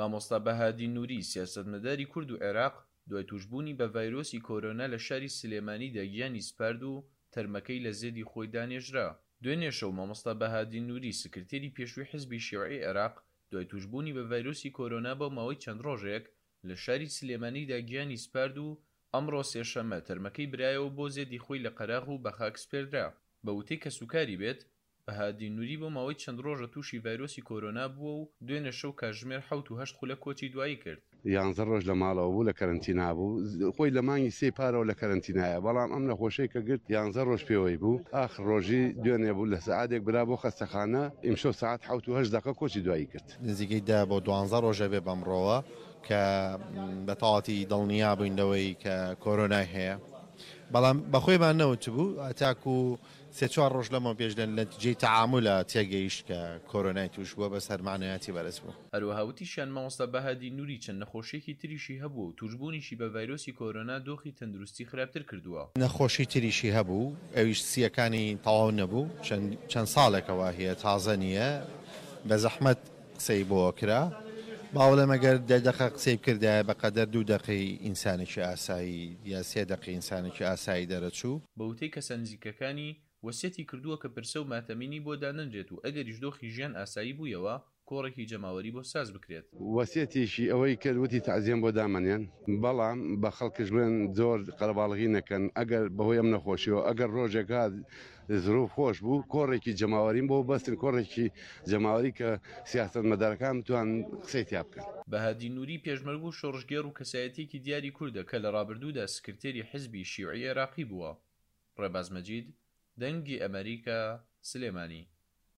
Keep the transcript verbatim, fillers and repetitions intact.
مامۆستا بەهادین نوری، سیاسەتمەداری کورد و عێراق، دوای تووشبوونی بە ڤایرۆسی کۆرۆنا لە شاری سلێمانیدا گیانی سپارد و تەرمەکەی لە زێدی خۆیدا نێژرا. دوێنێ شەو مامۆستا بەهادین نوری، سکرتێری پێشووی حزبی شیوعی عێراق، دوای تووشبوونی بە ڤایرۆسی کۆرۆنا بۆ ماوەی چەند ڕۆژێک لە شاری سلێمانیدا گیانی سپارد و ئەمڕۆ سێشەممە تەرمەکەی برایەوە بۆ زێدی خۆی لە قەراغ و بە خاک سپێردرا. بە وتەی کەسوکاری بێت، بەهادین نوری بۆ ماوەی چەند ڕۆژە تووشی ڤایرۆسی کۆرۆنا بووە و دوێنێ شەو کاتژمێر حەوت و هەشت خولەک کۆچی دوایی کرد. یانزە ڕۆژ لە ماڵەوە بوو لە کەرەنتینا بوو، خۆی لە مانگی سێی پارەوە لە کەرەنتینایە، بەڵام ئەم نەخۆشەی کە گرت یانزە ڕۆژ پێوەی بوو، ئاخر ڕۆژی دوێنێ بوو لە سەعاتێک برا بۆ خەستەخانە، ئیمشەو سەعات حەوت و هەشت دەقە کۆچی دوایی کرد. نزیکەی دە بۆ دوانزە ڕۆژە بێ بەمڕۆوە کە بە تەواوەتی دڵنیا بووین لەوەی کە کۆرۆنای هەیە، بەڵام بەخۆیمان نەوتبوو تاکو سێ چوار ڕۆژ لەمەو پێش لە نەتیجەی تەعامولە تێگەیشت کە کۆرۆنای توش بووە، بەس هەر مەعنەویاتی بەرز بوو. هەروەها وتیشیان مامۆستا بەهادین نوری چەند نەخۆشیەکی تریشی هەبووە و توشبوونیشی بە ڤایرۆسی کۆرۆنا دۆخی تەندروستی خراپتر کردووە. نەخۆشی تریشی هەبوو ئەویش سییەکانی تەواو نەبوو، چەند چەند ساڵێکەوە هەیە تازە نییە، بە زەحمەت قسەی بۆ کرا، باوەڵێم ئەگەر دە دەقە قسەی بکردایە بەقەدەر دوو دەقەی ئینسانێکی ئاسایی یا سێ دەقەی ئینسانێکی ئاسایی دەرەچوو. بە وتەی کەسە نزیکەکانی، وەسیەتی کردووە کە پرسە و ماتەمینی بۆ دانەنرێت و ئەگەریش دۆخی ژیان ئاسایی بوویەوە، کۆڕێکی جەماوەری بۆ ساز بکرێت. وەسیەتیشی ئەوەی کرد وتی تەعزیەم بۆ دامەنێن، بەڵام بە خەڵکش بڵێن زۆر قەرەباڵغی نەکەن، ئەگەر بەهۆی ئەم نەخۆشیەوە ئەگەر ڕۆژێک هات زروف خۆش بوو کۆڕێکی جەماوەریم بۆ بەستن، کۆڕێکی جەماوەری کە سیاسەتمەدارەکان بتوانن قسەی تیا بکەن. بەهادین نوری پێشمەرگ و شۆڕشگێڕ و کەسایەتیەکی دیاری کوردە کە لە ڕابردوودا سکرتێری حزبی شیوعی عێراقی بووە. ڕێباز مەجید، دەنگی ئەمەریکا، سلێمانی.